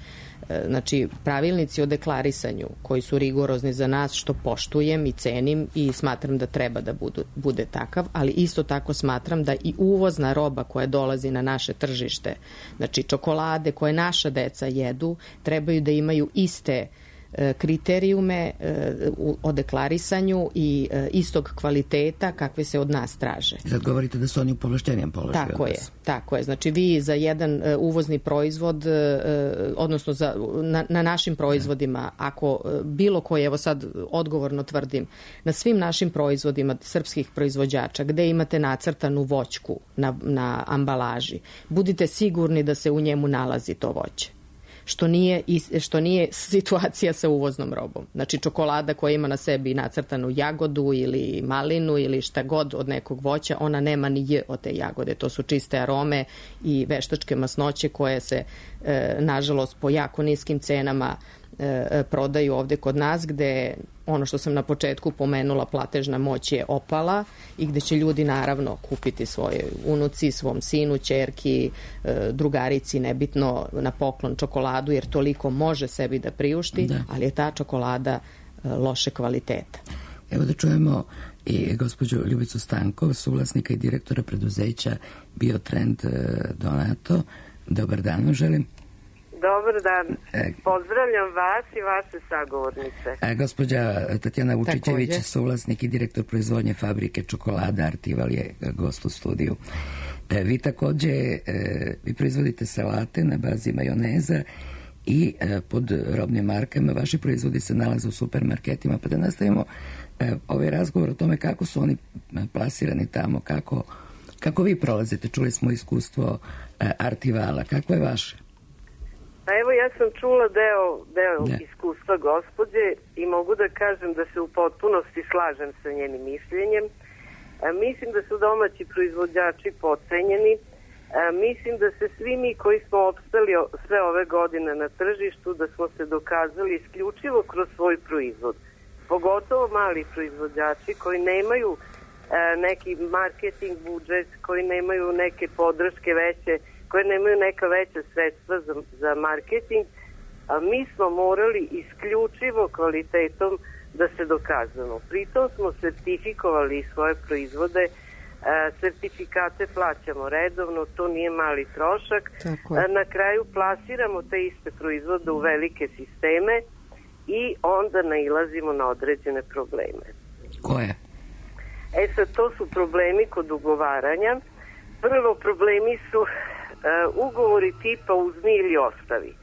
Znači, pravilnici o deklarisanju koji su rigorozni za nas, što poštujem i cenim i smatram da treba da budu, bude takav, ali isto tako smatram da i uvozna roba koja dolazi na naše tržište, znači čokolade koje naša deca jedu, trebaju da imaju iste kriterijume o deklarisanju i istog kvaliteta kakve se od nas traže. Sad govorite da su oni u povlašćenijem položaju. Tako je, tako je. Znači vi za jedan uvozni proizvod, odnosno za, na, na našim proizvodima, ako bilo koji, evo sad odgovorno tvrdim, na svim našim proizvodima srpskih proizvođača, gde imate nacrtanu voćku na, na ambalaži, budite sigurni da se u njemu nalazi to voće. Što nije, što nije situacija sa uvoznom robom. Znači čokolada koja ima na sebi nacrtanu jagodu ili malinu ili šta god od nekog voća, ona nema ni j od te jagode. To su čiste arome i veštačke masnoće koje se, e, nažalost, po jako niskim cenama e, prodaju ovde kod nas, gde ono što sam na početku pomenula, platežna moć je opala i gde će ljudi naravno kupiti svoje unuci, svom sinu, ćerki, drugarici, nebitno, na poklon čokoladu, jer toliko može sebi da priušti, da. Ali je ta čokolada loše kvaliteta. Evo da čujemo i gospođu Ljubicu Stankov, suvlasnika i direktora preduzeća Biotrend Donato. Dobar dan vam želim. Dobar dan. Pozdravljam vas i vaše sagovornice. A, gospođa Tatjana Vučićević, suvlasnik i direktor proizvodnje fabrike čokolada Artival, je gost u studiju. E, vi takođe, e, vi proizvodite salate na bazi majoneza i e, pod robnim markama. Vaši proizvodi se nalaze u supermarketima. Pa da nastavimo e, ovaj razgovor o tome kako su oni plasirani tamo, kako, kako vi prolazite. Čuli smo iskustvo e, Artivala. Kako je vaše? Pa evo, ja sam čula deo, deo ja. iskustva gospođe i mogu da kažem da se u potpunosti slažem sa njenim mišljenjem. E, mislim da su domaći proizvođači podcenjeni. E, mislim da se svi mi koji smo opstali sve ove godine na tržištu, da smo se dokazali isključivo kroz svoj proizvod. Pogotovo mali proizvođači koji nemaju e, neki marketing budžet, koji nemaju neke podrške veće, koje nemaju neka veća sredstva za, za marketing, a mi smo morali isključivo kvalitetom da se dokazamo. Pritom smo sertifikovali svoje proizvode, e, sertifikate plaćamo redovno, to nije mali trošak. E, na kraju plasiramo te iste proizvode u velike sisteme i onda nailazimo na određene probleme. Koje? E sad, to su problemi kod ugovaranja. Prvo, problemi su Uh, ugovori tipa uzmi ili ostavi.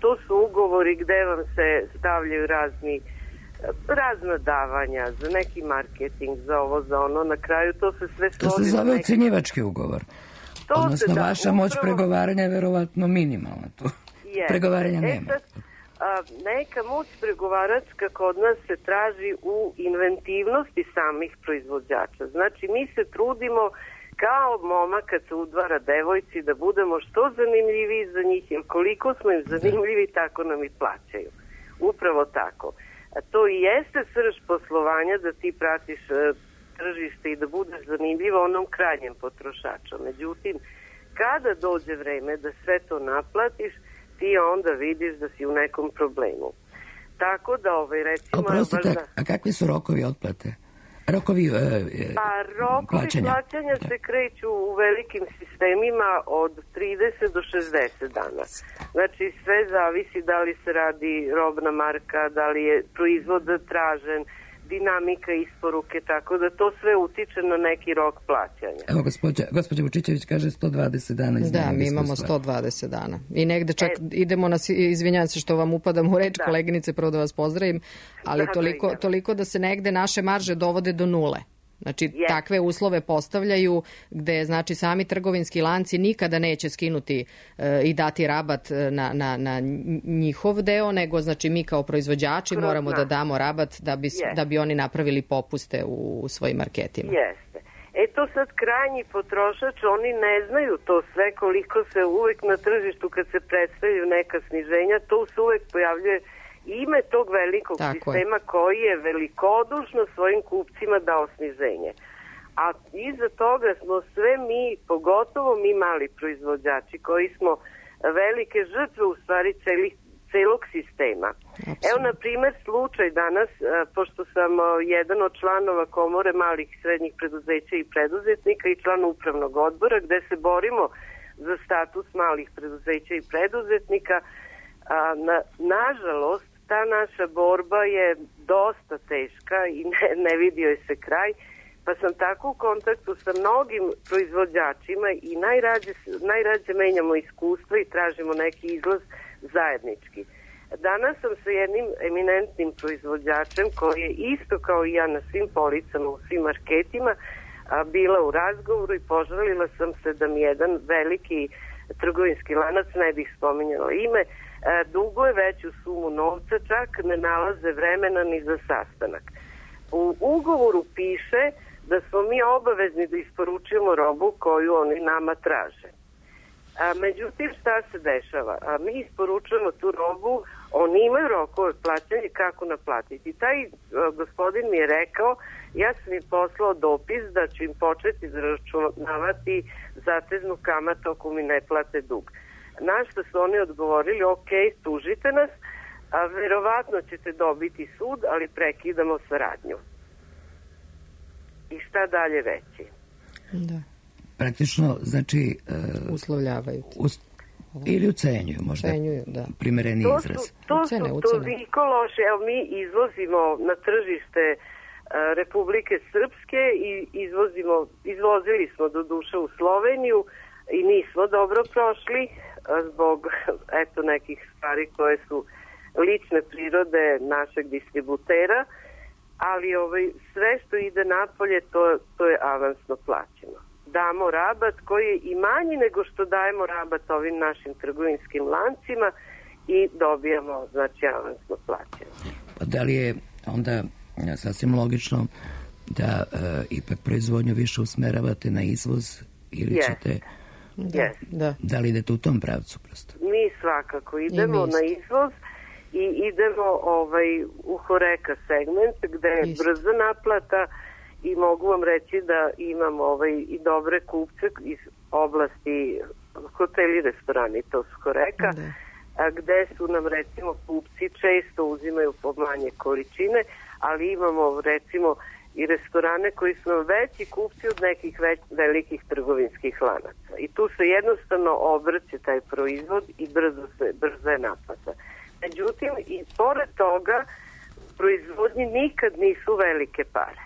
To su ugovori gde vam se stavljaju razni uh, razna davanja za neki marketing, za ovo, za ono. Na kraju to se sve svodi. To se zove neki... ucenjivački ugovor. To Odnosno, se, da, vaša upravo... moć pregovaranja je verovatno minimalna. Tu yes. pregovaranja e, nema. Sad, uh, neka moć pregovaračka kod nas se traži u inventivnosti samih proizvođača. Znači, mi se trudimo kao momak kad se udvara devojci da budemo što zanimljiviji za njih, jer koliko smo im zanimljivi, tako nam i plaćaju. Upravo tako. A to i jeste srž poslovanja, da ti pratiš uh, tržište i da budeš zanimljiva onom krajnjem potrošaču. Međutim, kada dođe vreme da sve to naplatiš, ti onda vidiš da si u nekom problemu. Tako da, ovaj, recimo... Oprostite, valjda... a kakvi su rokovi otplate? Rokovi e, e, pa, rokovi plaćanja, plaćanja se kreću u velikim sistemima od trideset do šezdeset dana. Znači, sve zavisi da li se radi robna marka, da li je proizvod tražen, dinamika isporuke, tako da to sve utiče na neki rok plaćanja. Evo, gospođa, gospođa Vučićević kaže sto dvadeset dana. Da, mi imamo sto dvadeset dana. I negde čak e, idemo na, izvinjam se što vam upadam u reč, da. Koleginice, prvo da vas pozdravim, ali da, toliko, da, toliko da se negde naše marže dovode do nule. Znači, yes. takve uslove postavljaju gde, znači, sami trgovinski lanci nikada neće skinuti e, i dati rabat na, na, na njihov deo, nego, znači, mi kao proizvođači Kroz moramo nas. da damo rabat da bi, yes. da bi oni napravili popuste u, u svojim marketima. Jeste. E to sad krajnji potrošač, oni ne znaju to sve, koliko se uvek na tržištu kad se predstavljaju neka sniženja, to se uvek pojavljuje ime tog velikog Tako sistema je. koji je velikodušno svojim kupcima dao sniženje. A iza toga smo sve mi, pogotovo mi mali proizvođači, koji smo velike žrtve u stvari celih, celog sistema. Absolutno. Evo, na primer, slučaj danas, pošto sam jedan od članova Komore malih i srednjih preduzeća i preduzetnika i član upravnog odbora, gde se borimo za status malih preduzeća i preduzetnika, a, na, nažalost, ta naša borba je dosta teška i ne, ne vidio je se kraj, pa sam tako u kontaktu sa mnogim proizvođačima i najrađe, najrađe menjamo iskustva i tražimo neki izlaz zajednički. Danas sam sa jednim eminentnim proizvođačem koji je isto kao i ja na svim policama, u svim marketima, a, bila u razgovoru i požalila sam se da mi jedan veliki trgovinski lanac, ne bih spominjala ime, duguje veću sumu novca, čak ne nalaze vremena ni za sastanak. U ugovoru piše da smo mi obavezni da isporučujemo robu koju oni nama traže. A, međutim, šta se dešava? A, mi isporučujemo tu robu, oni imaju rokove plaćanja kako naplatiti. Taj a, gospodin mi je rekao, ja sam im poslao dopis da ću im početi zaračunavati zateznu kamatu ako mi ne plate dug. Na što su oni odgovorili, ok, tužite nas, a verovatno ćete dobiti sud, ali prekidamo saradnju. I šta dalje reći? Da. Praktično, znači... Uh, uslovljavaju. Us, ili ucenjuju, možda. Ucenjuju, da. Primereni to izraz. Su, to ucene, su toliko loše. Evo, mi izvozimo na tržište uh, Republike Srpske i izvozimo, izvozili smo do duše u Sloveniju i nismo dobro prošli zbog eto nekih stvari koje su lične prirode našeg distributera, ali ovaj, sve što ide napolje to, to je avansno plaćeno. Damo rabat koji je i manji nego što dajemo rabat ovim našim trgovinskim lancima i dobijamo, znači, avansno plaćeno. Pa da li je onda sasvim logično da e, ipak proizvodnju više usmeravate na izvoz ili yes. ćete... Da, yes. da. da li idete u tom pravcu prosto? Mi svakako idemo na izvoz i idemo ovaj, u Horeka segment gde je Isto. brza naplata i mogu vam reći da imamo ovaj, i dobre kupce iz oblasti hoteli i restorani, to su Horeka, da. a gde su nam recimo kupci često uzimaju po manje količine, ali imamo recimo i restorane koji su veći kupci od nekih već, velikih trgovinskih lanaca. I tu se jednostavno obrće taj proizvod i brzo se, brzo je naplata. Međutim, i pored toga, proizvodnji nikad nisu velike pare.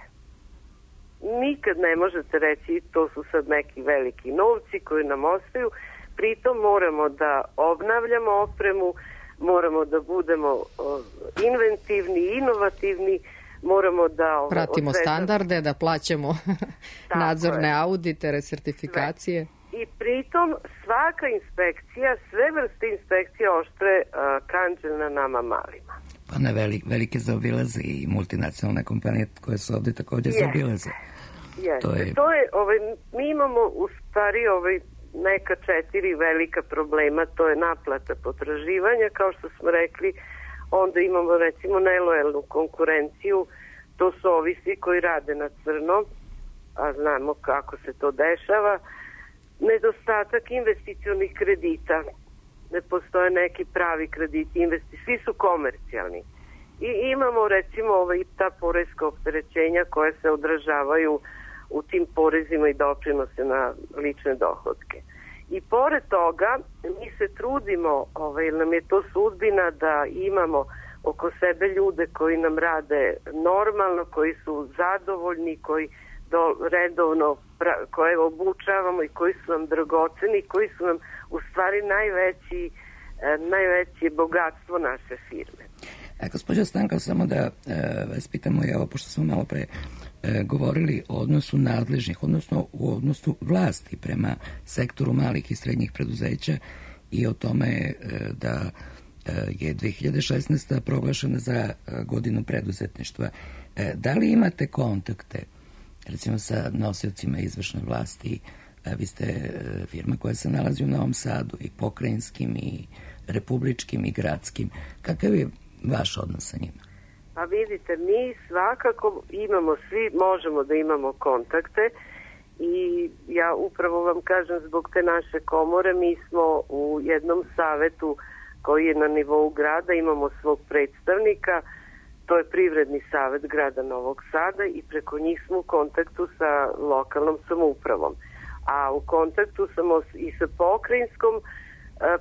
Nikad ne možete reći to su sad neki veliki novci koji nam ostaju. Pritom moramo da obnavljamo opremu, moramo da budemo uh, inventivni, inovativni, moramo da... Pratimo odvezam... standarde, da plaćamo nadzorne je. audite, resertifikacije. Sve. I pritom svaka inspekcija, sve vrste inspekcija oštre uh, kanđe na nama malima. Pa ne, velik, velike zaobilaze i multinacionalne kompanije koje su ovdje također yes. zaobilaze. Yes. To je... To je ovaj, mi imamo u stvari ovaj, neka četiri velika problema, to je naplata potraživanja, kao što smo rekli, onda imamo recimo nelojalnu konkurenciju, to su ovi svi koji rade na crno, a znamo kako se to dešava, nedostatak investicionih kredita. Ne postoje neki pravi krediti, investi, svi su komercijalni. I imamo recimo ovaj, ta poreska opterećenja koja se odražavaju u tim porezima i doprinose na lične dohodke. I pored toga mi se trudimo, ovaj, nam je to sudbina da imamo oko sebe ljude koji nam rade normalno, koji su zadovoljni, koji do, redovno pra, koje obučavamo i koji su nam dragoceni, koji su nam u stvari najveći, eh, najveće bogatstvo naše firme. A gospođa Stanka, samo da e, vas pitamo, evo, pošto smo malo pre e, govorili o odnosu nadležnih, odnosno u odnosu vlasti prema sektoru malih i srednjih preduzeća i o tome e, da e, je dve hiljade šesnaesta proglašena za e, godinu preduzetništva. E, da li imate kontakte, recimo, sa nosiocima izvršne vlasti? E, vi ste e, firma koja se nalazi u Novom Sadu, i pokrajinskim, i republičkim, i gradskim. Kakav je vaš odnos sa njima? Pa vidite, mi svakako imamo, svi možemo da imamo kontakte i ja upravo vam kažem, zbog te naše komore mi smo u jednom savetu koji je na nivou grada, imamo svog predstavnika, to je Privredni savet grada Novog Sada i preko njih smo u kontaktu sa lokalnom samoupravom. A u kontaktu smo i sa pokrajinskom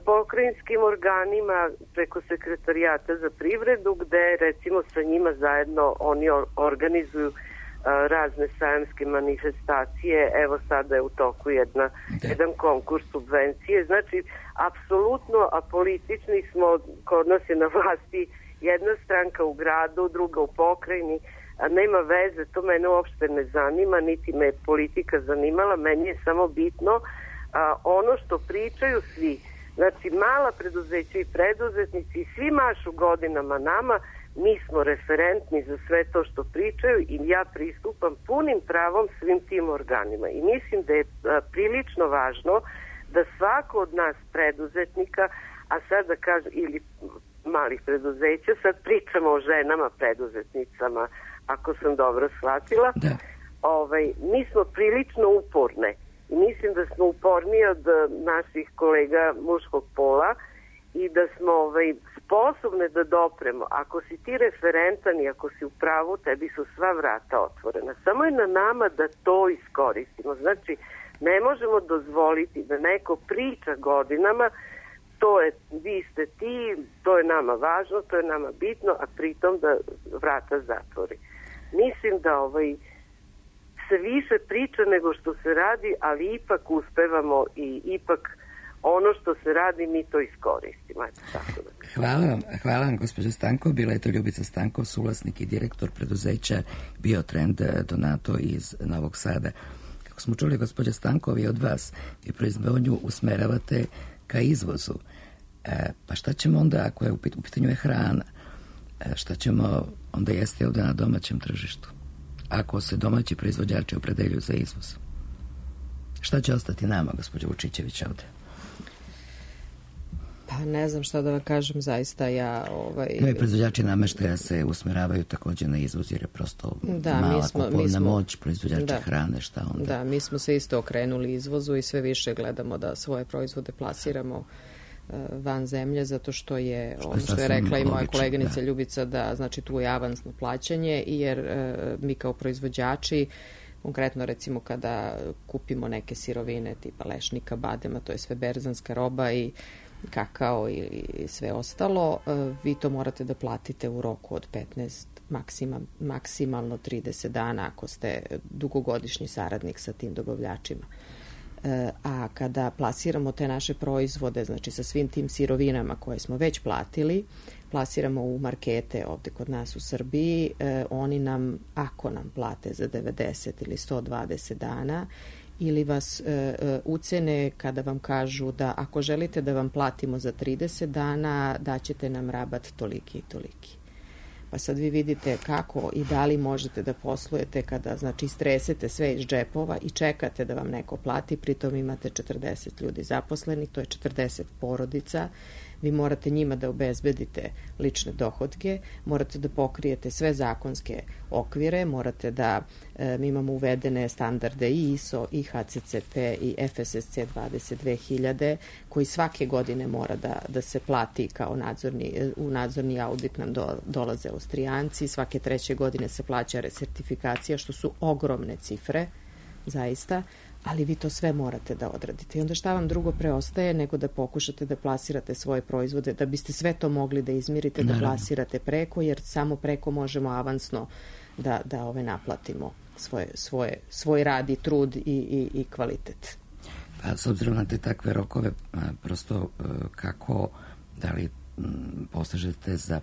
pokrajinskim organima preko sekretarijata za privredu, gde recimo sa njima zajedno oni organizuju razne sajamske manifestacije. Evo sada je u toku jedna, jedan konkurs subvencije. Znači, apsolutno apolitični smo, kod nas je na vlasti jedna stranka u gradu, druga u pokrajini, a nema veze, to mene uopšte ne zanima, niti me politika zanimala, meni je samo bitno a, ono što pričaju svi. Znači, mala preduzeća i preduzetnici i svi mašu godinama nama, mi smo referentni za sve to što pričaju i ja pristupam punim pravom svim tim organima. I mislim da je a, prilično važno da svako od nas preduzetnika, a sad da kažem, ili malih preduzeća, sad pričamo o ženama preduzetnicama, ako sam dobro shvatila, da. Ovaj, mi smo prilično uporne. I mislim da smo uporniji od naših kolega muškog pola i da smo ovaj, sposobne da dopremo. Ako si ti referentan i ako si u pravu, tebi su sva vrata otvorena. Samo je na nama da to iskoristimo. Znači, ne možemo dozvoliti da neko priča godinama, to je, vi ste ti, to je nama važno, to je nama bitno, a pritom da vrata zatvori. Mislim da ovaj se više priča nego što se radi, ali ipak uspevamo i ipak ono što se radi mi to iskoristimo. Eto, tako da. Hvala vam, hvala vam gospođa Stanko. Bila je to Ljubica Stanko, suvlasnik i direktor preduzeća Biotrend Donato iz Novog Sada. Kako smo čuli, gospođa Stanko, vi od vas i proizvodnju usmeravate ka izvozu. E, pa šta ćemo onda, ako je u pitanju je hrana, e, šta ćemo onda jesti ovde na domaćem tržištu? Ako se domaći proizvođači opredeljuju za izvoz. Šta će ostati nama, gospođo Vučićević, ovde? Pa ne znam šta da vam kažem, zaista ja... Ovaj... I proizvođači nameštaja se usmeravaju takođe na izvoz, jer je prosto da, mala mi smo, kupovna mi smo, moć, proizvođači da, hrane, šta onda? Da, mi smo se isto okrenuli izvozu i sve više gledamo da svoje proizvode plasiramo uh, van zemlje, zato što je, što ono što je rekla i moja logično, koleginica da. Ljubica, da znači tu je avansno plaćanje, jer uh, mi kao proizvođači, konkretno recimo kada kupimo neke sirovine tipa lešnika, badema, to je sve berzanska roba i kakao i sve ostalo, vi to morate da platite u roku od petnaest, maksima, maksimalno trideset dana ako ste dugogodišnji saradnik sa tim dobavljačima. A kada plasiramo te naše proizvode, znači sa svim tim sirovinama koje smo već platili, plasiramo u markete ovde kod nas u Srbiji, oni nam, ako nam plate za devedeset ili sto dvadeset dana, ili vas e, ucene kada vam kažu da ako želite da vam platimo za trideset dana, daćete nam rabat toliki i toliki. Pa sad vi vidite kako i da li možete da poslujete kada, znači, stresete sve iz džepova i čekate da vam neko plati, pritom imate četrdeset ljudi zaposlenih, to je četrdeset porodica vi morate njima da obezbedite lične dohodke, morate da pokrijete sve zakonske okvire, morate da e, mi imamo uvedene standarde i I S O, i H C C P, i F S S C dvadeset dve hiljade, koji svake godine mora da, da se plati kao nadzorni, u nadzorni audit nam do, dolaze Austrijanci, svake treće godine se plaća resertifikacija, što su ogromne cifre, zaista, ali vi to sve morate da odradite. I onda šta vam drugo preostaje nego da pokušate da plasirate svoje proizvode, da biste sve to mogli da izmirite, da plasirate preko, jer samo preko možemo avansno da, da ove naplatimo svoje, svoje, svoj rad i trud i, i, i kvalitet. Pa s obzirom na te takve rokove, prosto kako, da li posežete za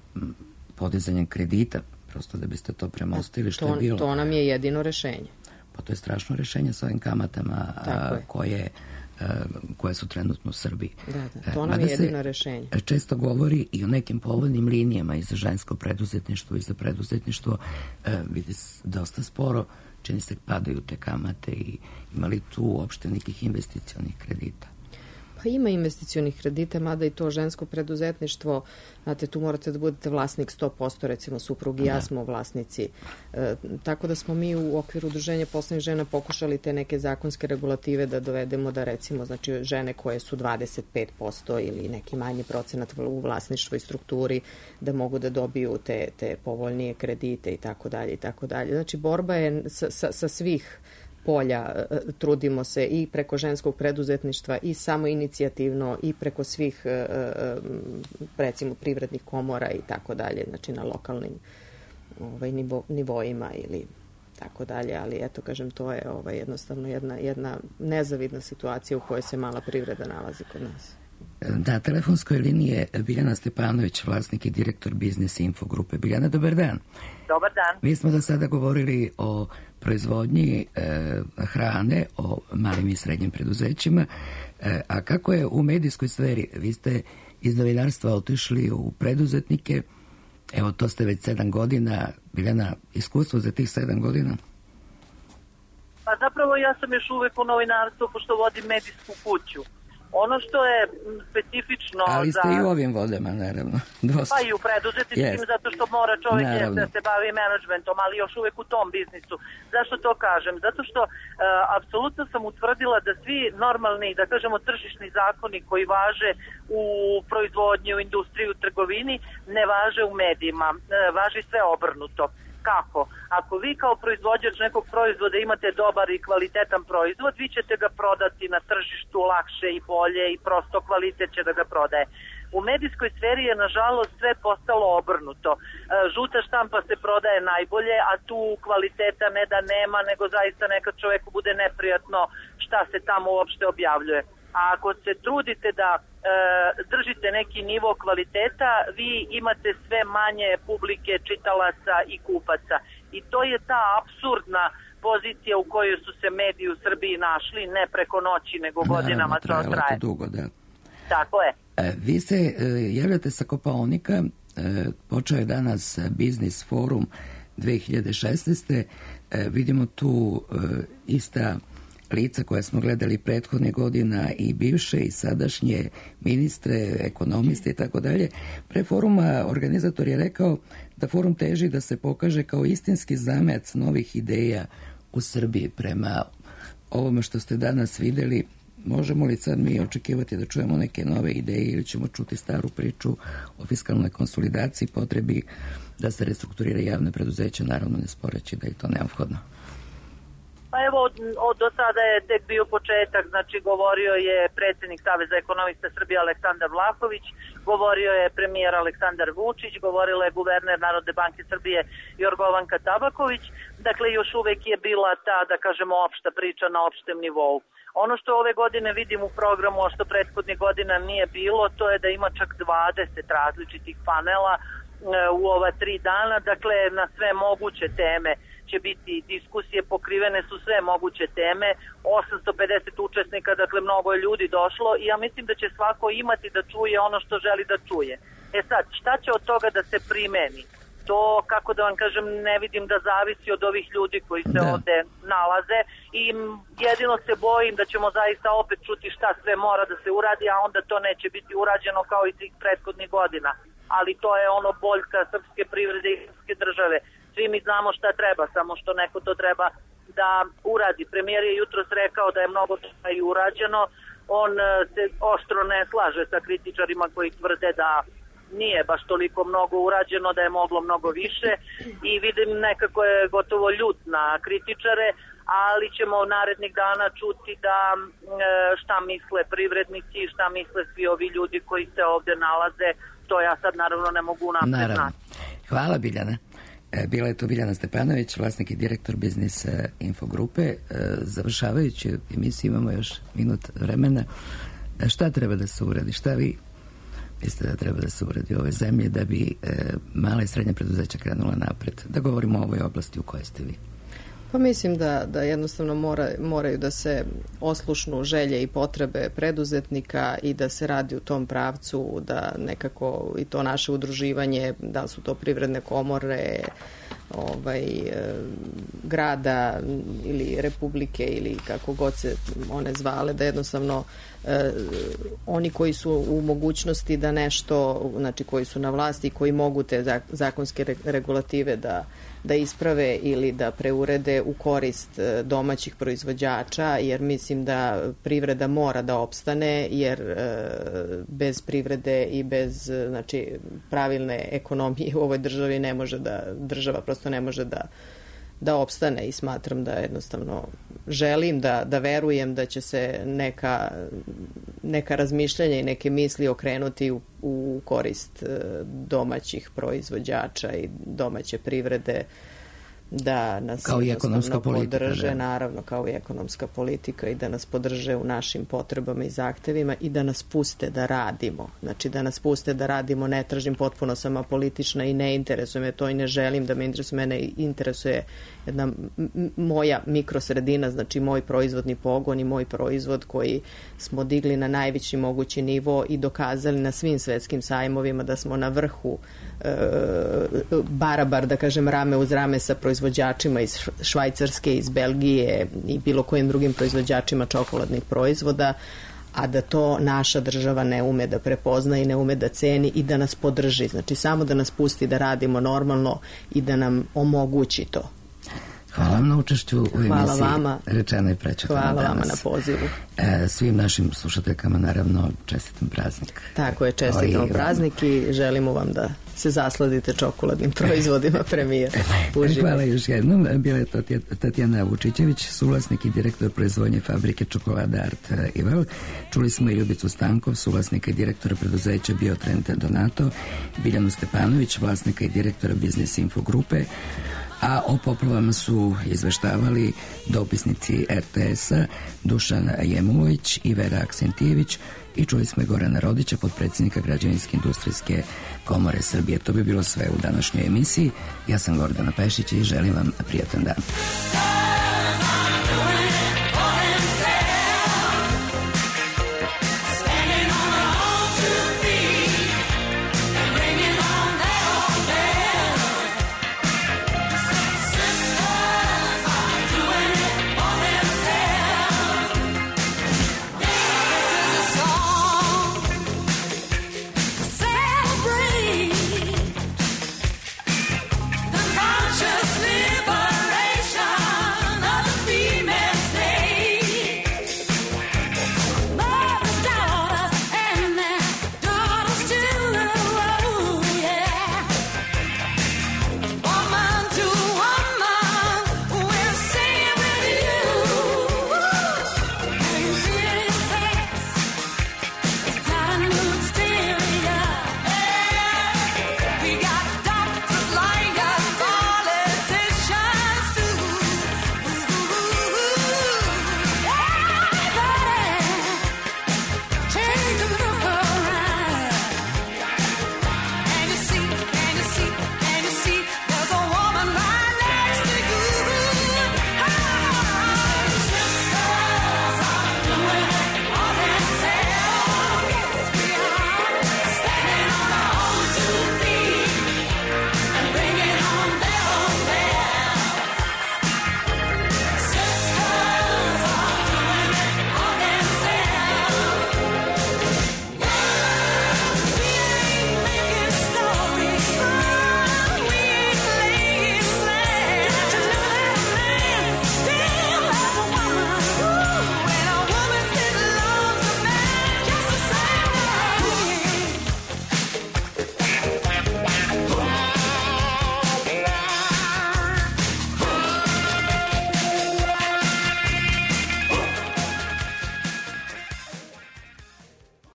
podizanjem kredita, prosto da biste to premostili, što to, je bilo? To nam je jedino rešenje. Pa to je strašno rešenje sa ovim kamatama a, koje, a, koje su trenutno u Srbiji. Da, da, to nam je jedino rešenje. Često govori i o nekim povoljnim linijama i za žensko preduzetništvo i za preduzetništvo. A, vidi, dosta sporo, čini se, padaju te kamate i imali tu uopšte nekih investicionih kredita? Pa ima investicionih kredita, mada i to žensko preduzetništvo, znate, tu morate da budete vlasnik sto posto, recimo suprug i ja smo vlasnici. E, tako da smo mi u okviru Udruženja poslovnih žena pokušali te neke zakonske regulative da dovedemo da, recimo, znači žene koje su dvadeset pet posto ili neki manji procenat u vlasništvu i strukturi, da mogu da dobiju te, te povoljnije kredite i tako dalje i tako dalje. Znači, borba je sa, sa, sa svih polja, trudimo se i preko ženskog preduzetništva i samo inicijativno i preko svih, recimo, privrednih komora i tako dalje, znači na lokalnim ovaj, nivo, nivoima ili tako dalje, ali eto, kažem, to je ovaj, jednostavno jedna, jedna nezavidna situacija u kojoj se mala privreda nalazi kod nas. Na telefonskoj liniji je Biljana Stepanović, vlasnik i direktor Biznis Info grupe. Biljana, dobar dan. Dobar dan. Mi smo do sada govorili o proizvodnji e, hrane, o malim i srednjim preduzećima, e, a kako je u medijskoj sferi? Vi ste iz novinarstva otišli u preduzetnike, evo to ste već sedam godina. Biljana, iskustvo za tih sedam godina? Pa zapravo ja sam još uvek u novinarstvu, pošto vodim medijsku kuću. Ono što je specifično... Ali ste za... i u ovim vodama, naravno. Dosta. Pa i u preduzetničkim, yes. Zato što mora čovjek da se bavi menadžmentom, ali još uvek u tom biznisu. Zašto to kažem? Zato što uh, apsolutno sam utvrdila da svi normalni, da kažemo tržišni zakoni koji važe u proizvodnji, u industriji, u trgovini, ne važe u medijima. Uh, važi sve obrnuto. Kako? Ako vi kao proizvođač nekog proizvoda imate dobar i kvalitetan proizvod, vi ćete ga prodati na tržištu lakše i bolje i prosto kvalitet će da ga prodaje. U medijskoj sferi je nažalost sve postalo obrnuto. Žuta štampa se prodaje najbolje, a tu kvaliteta ne da nema, nego zaista nekad čoveku bude neprijatno šta se tamo uopšte objavljuje. A ako se trudite da e, držite neki nivo kvaliteta, vi imate sve manje publike, čitalaca i kupaca. I to je ta apsurdna pozicija u kojoj su se mediji u Srbiji našli, ne preko noći, nego godinama to traje. Dugo, da. Tako je. E, vi se e, javljate sa Kopaonika, e, počeo je danas Biznis forum dve hiljade šesnaeste. E, vidimo tu e, ista lica koje smo gledali prethodne godina, i bivše i sadašnje ministre, ekonomiste i tako dalje. Pre foruma organizator je rekao da forum teži da se pokaže kao istinski zamajac novih ideja u Srbiji. Prema ovome što ste danas videli, možemo li sad mi očekivati da čujemo neke nove ideje ili ćemo čuti staru priču o fiskalnoj konsolidaciji, potrebi da se restrukturira javne preduzeća, naravno ne sporeći da je to neophodno? Pa evo, od, od, do sada je tek bio početak, znači govorio je predsjednik Saveza ekonomista Srbije Aleksandar Vlahović, govorio je premijer Aleksandar Vučić, govorila je guverner Narodne banke Srbije Jorgovanka Tabaković, dakle još uvek je bila ta, da kažemo, opšta priča na opštem nivou. Ono što ove godine vidim u programu, a što prethodnih godina nije bilo, to je da ima čak dvadeset različitih panela e, u ova tri dana, dakle na sve moguće teme će biti diskusije, pokrivene su sve moguće teme, osamsto pedeset učesnika, dakle mnogo je ljudi došlo i ja mislim da će svako imati da čuje ono što želi da čuje. E sad, šta će od toga da se primeni? to, kako da vam kažem, ne vidim da zavisi od ovih ljudi koji se da. ovde nalaze i jedino se bojim da ćemo zaista opet čuti šta sve mora da se uradi, a onda to neće biti urađeno kao i tih prethodnih godina. Ali to je ono boljka srpske privrede i srpske države. Svi mi znamo šta treba, samo što neko to treba da uradi. Premijer je jutros rekao da je mnogo toga i urađeno. On se oštro ne slaže sa kritičarima koji tvrde da nije baš toliko mnogo urađeno, da je moglo mnogo više i vidim nekako je gotovo ljut na kritičare, ali ćemo narednih dana čuti da šta misle privrednici, šta misle svi ovi ljudi koji se ovde nalaze. To ja sad naravno ne mogu napred znati. Hvala Biljana. Bila je to Biljana Stepanović, vlasnik i direktor Biznis Infogrupe. Završavajući emisiju, imamo još minut vremena. Šta treba da se uradi? Šta vi mislite da treba da se uradi u ovoj zemlji da bi mala i srednja preduzeća krenula napred? Da govorimo o ovoj oblasti u kojoj ste vi. Pa mislim da, da jednostavno mora, moraju da se oslušnu želje i potrebe preduzetnika i da se radi u tom pravcu, da nekako i to naše udruživanje, da su to privredne komore, ovaj, grada ili republike ili kako god se one zvale, da jednostavno eh, oni koji su u mogućnosti da nešto, znači koji su na vlasti i koji mogu te zakonske regulative da da isprave ili da preurede u korist domaćih proizvođača, jer mislim da privreda mora da opstane, jer e, bez privrede i bez znači, pravilne ekonomije u ovoj državi ne može da, država prosto ne može da da opstane i smatram da jednostavno želim da, da verujem da će se neka, neka razmišljanja i neke misli okrenuti u, u korist domaćih proizvođača i domaće privrede, da nas kao i ekonomska politika, podrže, da. naravno kao i ekonomska politika i da nas podrže u našim potrebama i zahtevima i da nas puste da radimo. Znači da nas puste da radimo, ne tražim, potpuno sam apolitična i ne interesuje me to i ne želim da me interesuje, mene interesuje jedna moja mikrosredina, znači moj proizvodni pogon i moj proizvod koji smo digli na najveći mogući nivo i dokazali na svim svetskim sajmovima da smo na vrhu e, barabar, da kažem, rame uz rame sa proizvođačima iz Švajcarske, iz Belgije i bilo kojim drugim proizvođačima čokoladnih proizvoda, a da to naša država ne ume da prepozna i ne ume da ceni i da nas podrži. Znači samo da nas pusti da radimo normalno i da nam omogući to. Hvala vam na učešću u emisiji. Hvala vama. Rečeno i prečetano danas. Hvala vama na pozivu. E, svim našim slušateljkama naravno čestitam praznik. Tako je, čestitam praznik i želimo vam da se zasladite čokoladnim proizvodima premijer. Hvala još jednom. Bila je to Tatjana Vučićević, suvlasnik i direktor proizvodnje fabrike čokolada Art Ival. Čuli smo i Ljubicu Stankov, suvlasnika i direktora preduzeća Biotrend Donato, Biljanu Stepanović, vlasnika i direktora Biznis Infogrupe, a o poplavama su izveštavali dopisnici er te es-a Dušan Jemulović i Vera Aksentijević i čuli smo i Gorana Rodića, potpredsjednika Građevinske industrijske komore Srbije. To bi bilo sve u današnjoj emisiji. Ja sam Gordana Pešić i želim vam prijatan dan.